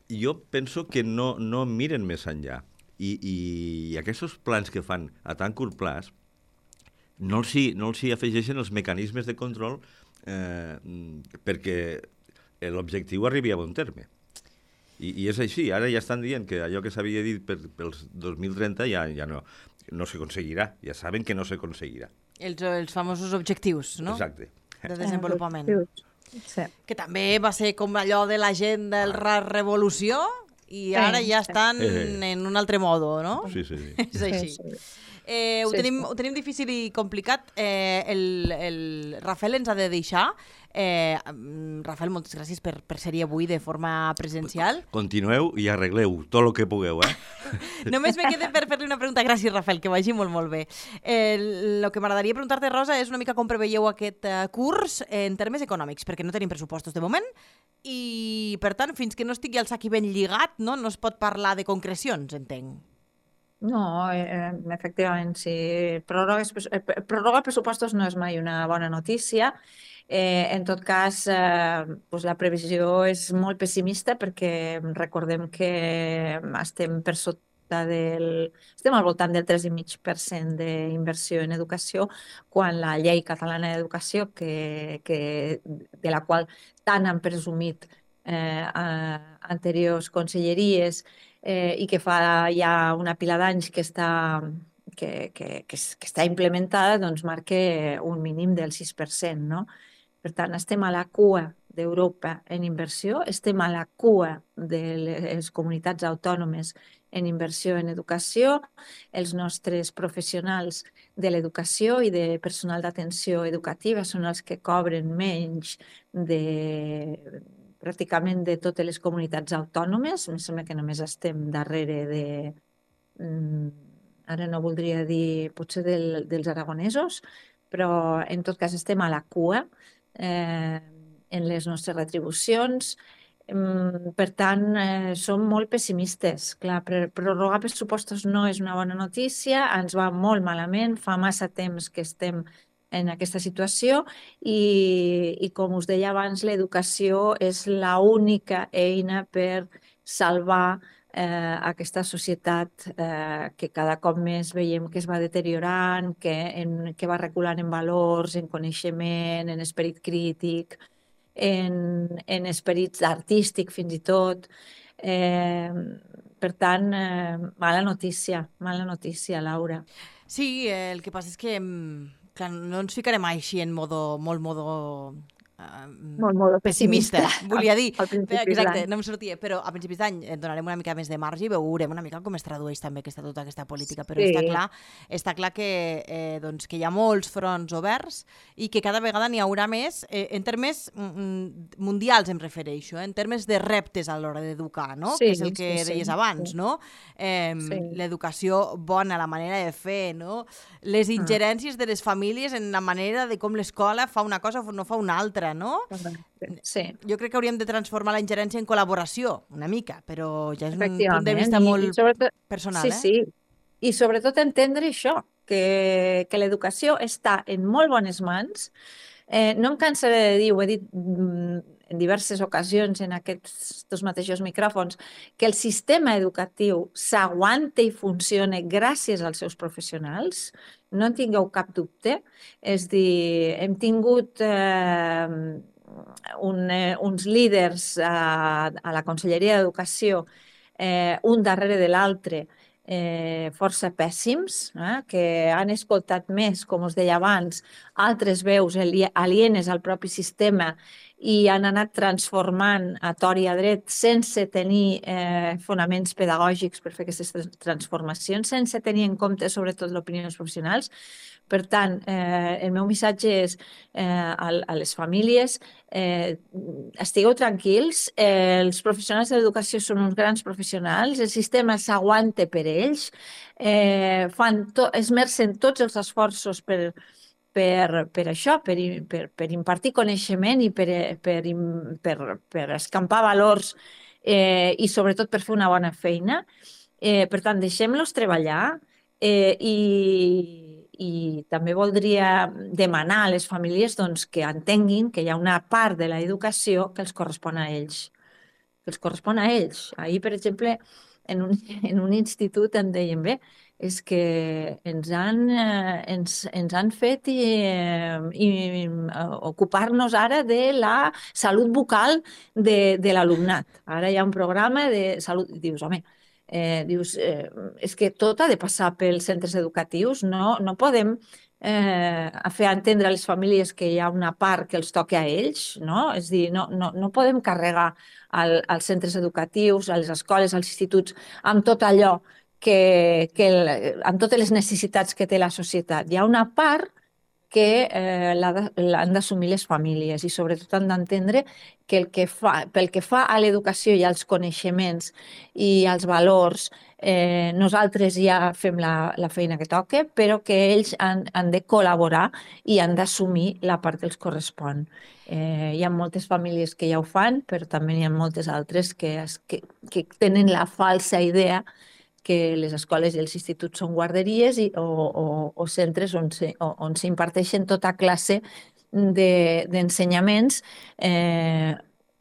Speaker 4: jo penso que no, no miren més enllà. I, i, i aquests plans que fan a tan curt plaç no els hi, no els hi afegeixen els mecanismes de control eh, perquè l'objectiu arribi a bon terme. I, I és així. Ara ja estan dient que allò que s'havia dit per, pels dos mil trenta ja, ja no, no s'aconseguirà. Ja saben que no s'aconseguirà.
Speaker 1: Els, els famosos objectius, no?
Speaker 4: Exacte.
Speaker 1: De desenvolupament.
Speaker 3: Sí.
Speaker 1: Que també va ser com allò de la gent del la revolució i ara ja estan en un altre modo, no?
Speaker 4: Sí, sí, sí.
Speaker 1: És així.
Speaker 3: Sí, sí.
Speaker 1: Eh, ho,
Speaker 3: Sí,
Speaker 1: tenim,
Speaker 3: sí.
Speaker 1: ho tenim difícil i complicat. Eh, el, el Rafael ens ha de deixar. Eh, Rafael, moltes gràcies per, per ser-hi avui de forma presencial.
Speaker 4: Continueu i arregleu tot el que pugueu, eh?
Speaker 1: Només me queda per fer-li una pregunta. Gràcies, Rafael, que vagi molt, molt bé. El eh, que m'agradaria preguntar-te, Rosa, és una mica com preveieu aquest eh, curs en termes econòmics, perquè no tenim pressupostos de moment i, per tant, fins que no estigui el sac ben lligat, no, no es pot parlar de concrecions, entenc.
Speaker 3: No, eh, efectivament, sí. Pròrrogues, eh, pròrroga pressupostos no és mai una bona notícia. Eh, en tot cas, eh, doncs la previsió és molt pessimista perquè recordem que estem per sota del... estem al voltant del tres coma cinc per cent d'inversió en educació, quan la llei catalana d'educació, que, que, de la qual tant han presumit eh, a anteriors conselleries, Eh, i que fa ja una pila d'anys que està, que, que, que, que està implementada, doncs marca un mínim del sis per cent, no? Per tant, estem a la cua d'Europa en inversió, estem a la cua de les comunitats autònomes en inversió en educació, els nostres professionals de l'educació i de personal d'atenció educativa són els que cobren menys de pràcticament de totes les comunitats autònomes. Em sembla que només estem darrere de... mm, ara no voldria dir potser del, dels aragonesos, però en tot cas estem a la cua eh, en les nostres retribucions. Mm, Per tant, eh, som molt pessimistes. Clar, pre- prorrogar pressupostos no és una bona notícia, ens va molt malament, fa massa temps que estem en aquesta situació i, i com us deia abans, l'educació és l'única eina per salvar eh, aquesta societat eh, que cada cop més veiem que es va deteriorant, que, en, que va reculant en valors, en coneixement, en esperit crític, en, en esperit artístic fins i tot. Eh, per tant, eh, mala notícia, mala notícia, Laura.
Speaker 1: Sí, eh, el que passa és que mm, clar, no ens ficarem així en modo, molt modo eh,
Speaker 3: Molt, molt
Speaker 1: pessimista,
Speaker 3: pessimista.
Speaker 1: volia dir.
Speaker 3: Al principi
Speaker 1: Exacte,
Speaker 3: d'any.
Speaker 1: no em sortia, però a principis d'any eh, donarem una mica més de marge i veurem una mica com es tradueix també aquesta, tota aquesta política, però
Speaker 3: Sí.
Speaker 1: està clar, està clar que, eh, doncs, que hi ha molts fronts oberts i que cada vegada n'hi haurà més, eh, en termes mm, mundials em refereixo, eh, en termes de reptes a l'hora d'educar, no?
Speaker 3: Sí,
Speaker 1: Que és el que
Speaker 3: sí, sí,
Speaker 1: deies abans,
Speaker 3: sí.
Speaker 1: no? Eh,
Speaker 3: Sí.
Speaker 1: L'educació bona, la manera de fer, no? Les ingerències de les famílies en la manera de com l'escola fa una cosa o no fa una altra, no?
Speaker 3: Sí,
Speaker 1: Jo crec que hauríem de transformar la ingerència en col·laboració, una mica, però ja és un punt de
Speaker 3: efectivament.
Speaker 1: vista
Speaker 3: I-
Speaker 1: molt
Speaker 3: i sobretot,
Speaker 1: personal,
Speaker 3: sí,
Speaker 1: eh?
Speaker 3: sí. I sobretot entendre això, que, que l'educació està en molt bones mans. Eh, no em cansaré de dir, ho he dit mm, en diverses ocasions en aquests dos mateixos micròfons, que el sistema educatiu s'aguanta i funciona gràcies als seus professionals. No en tingueu cap dubte. És dir, hem tingut eh, un, eh, uns líders a, a la Conselleria d'Educació, eh, un darrere de l'altre, eh, força pèssims, eh, que han escoltat més, com us deia abans, altres veus ali- alienes al propi sistema i han anat transformant a tort i a dret sense tenir eh, fonaments pedagògics per fer aquestes trans- transformacions, sense tenir en compte sobretot l'opinió dels professionals. Per tant, eh, el meu missatge és eh, a, a les famílies, eh, estigueu tranquils, eh, els professionals de l'educació són uns grans professionals, el sistema s'aguanta per ells, eh, fan to, esmercen tots els esforços per, per, per això, per, i- per, per impartir coneixement i per, per, im- per, per escampar valors eh, i sobretot per fer una bona feina. Eh, per tant, deixem-los treballar eh, i, i també voldria demanar a les famílies doncs, que entenguin que hi ha una part de l'educació que els correspon a ells, que els correspon a ells. Ahir, per exemple, en un, en un institut em deien, bé, és que ens han, eh, ens, ens han fet i, eh, i, eh, ocupar-nos ara de la salut bucal de, de l'alumnat. Ara hi ha un programa de salut... Dius, home, eh, dius, eh, és que tot ha de passar pels centres educatius, no, no podem eh, fer entendre a les famílies que hi ha una part que els toca a ells, no? És a dir, no, no, no podem carregar al, als centres educatius, a les escoles, als instituts, amb tot allò que, que el, amb totes les necessitats que té la societat. Hi ha una part que eh, l'ha de- l'han d'assumir les famílies i sobretot han d'entendre que el que fa, pel que fa a l'educació i als coneixements i als valors, eh, nosaltres ja fem la, la feina que toca, però que ells han, han de col·laborar i han d'assumir la part que els correspon. Eh, hi ha moltes famílies que ja ho fan, però també hi ha moltes altres que, es, que, que tenen la falsa idea que les escoles i els instituts són guarderies i, o, o, o centres on se, on s'imparteixen tota classe d'ensenyaments de, eh,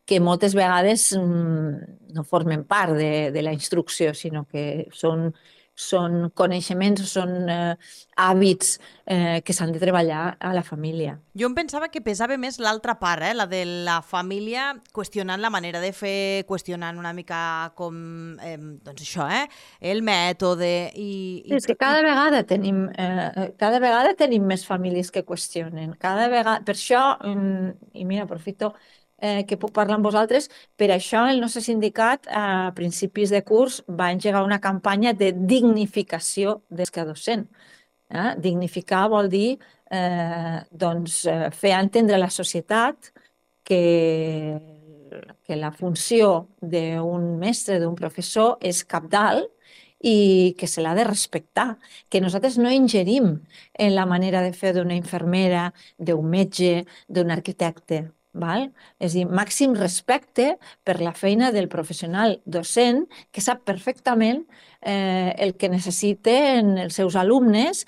Speaker 3: que moltes vegades mm, no formen part de, de la instrucció, sinó que són, són coneixements, són eh, hàbits eh, que s'han de treballar a la família.
Speaker 1: Jo em pensava que pesava més l'altra part, eh? La de la família, qüestionant la manera de fer, qüestionant una mica com, eh, doncs això, eh? El mètode i... i
Speaker 3: És que cada vegada tenim, eh, cada vegada tenim més famílies que qüestionen. Cada vegada, per això, mm, i mira, aprofito eh, que puc parlar amb vosaltres, per això el nostre sindicat a principis de curs va engegar una campanya de dignificació des que docent. Eh? Dignificar vol dir eh, doncs, eh, fer entendre a la societat que que la funció d'un mestre, d'un professor, és cabdal i que se l'ha de respectar, que nosaltres no ingerim en la manera de fer d'una infermera, d'un metge, d'un arquitecte. Val? És a dir, màxim respecte per la feina del professional docent que sap perfectament eh, el que necessiten els seus alumnes,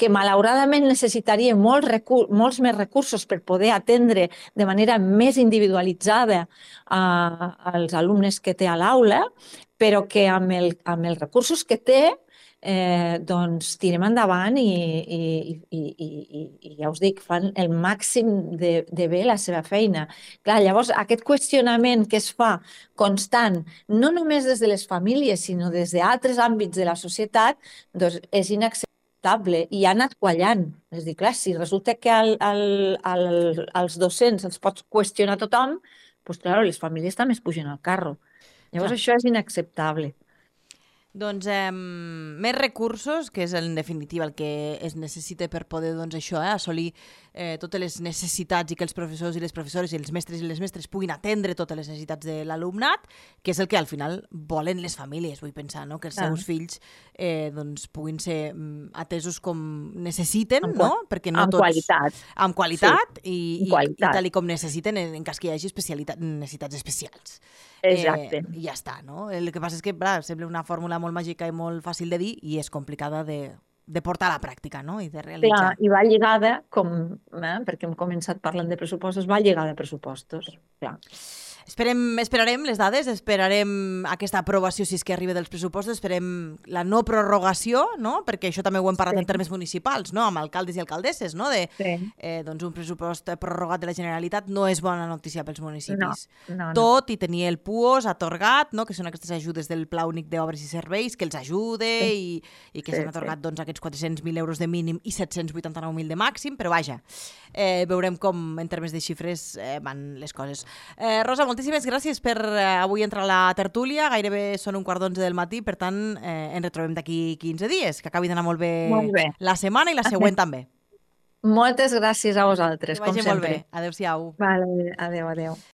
Speaker 3: que malauradament necessitaria molts, recur molts més recursos per poder atendre de manera més individualitzada a, als alumnes que té a l'aula, però que amb, el, amb els recursos que té eh, doncs tirem endavant i, i, i, i, i, i ja us dic, fan el màxim de, de bé la seva feina. Clar, llavors, aquest qüestionament que es fa constant, no només des de les famílies, sinó des d'altres àmbits de la societat, doncs és inacceptable i ha anat quallant. És a dir, clar, si resulta que al, al, al, als docents els pots qüestionar tothom, doncs, clar, les famílies també es pugen al carro. Llavors, clar, això és inacceptable.
Speaker 1: Doncs eh, més recursos, que és en definitiva el que es necessita per poder doncs, això, eh, assolir eh, totes les necessitats i que els professors i les professores i els mestres i les mestres puguin atendre totes les necessitats de l'alumnat, que és el que al final volen les famílies, vull pensar, no? Que els seus fills eh, doncs, puguin ser atesos com necessiten, amb, no? Perquè no
Speaker 3: amb
Speaker 1: tots,
Speaker 3: qualitat.
Speaker 1: Amb qualitat, sí. i, i,
Speaker 3: qualitat.
Speaker 1: i tal i com necessiten en, en cas que hi hagi necessitats especials.
Speaker 3: Exacte.
Speaker 1: Eh, I ja està, no? El que passa és que clar, sembla una fórmula molt màgica i molt fàcil de dir i és complicada de, de portar a la pràctica, no? I de realitzar.
Speaker 3: Clar, i va lligada, com, eh, perquè hem començat parlant de pressupostos, va lligada a pressupostos. Clar.
Speaker 1: Esperem, esperarem les dades, esperarem aquesta aprovació si és que arriba dels pressupostos, esperem la no prorrogació, no? Perquè això també ho hem parlat sí. en termes municipals, no? Amb alcaldes i alcaldesses, no? De, sí. eh, doncs un pressupost prorrogat de la Generalitat no és bona notícia pels municipis.
Speaker 3: No, no, no.
Speaker 1: Tot i tenir el P U O S atorgat, no? Que són aquestes ajudes del Pla Únic d'Obres i Serveis, que els ajude sí. i, i que sí, s'han atorgat sí. doncs, aquests quatre-cents mil euros de mínim i set-cents vuitanta-nou mil de màxim, però vaja, eh, veurem com en termes de xifres eh, van les coses. Eh, Rosa, moltíssimes gràcies per eh, avui entrar a la tertúlia. Gairebé són un quart d'onze del matí, per tant, eh, ens retrobem d'aquí quinze dies. Que acabi d'anar molt bé,
Speaker 3: molt bé
Speaker 1: la setmana i la següent també.
Speaker 3: Moltes gràcies a vosaltres, com sempre.
Speaker 1: Que vagi molt bé. Adéu-siau.
Speaker 3: Vale, adéu, adéu.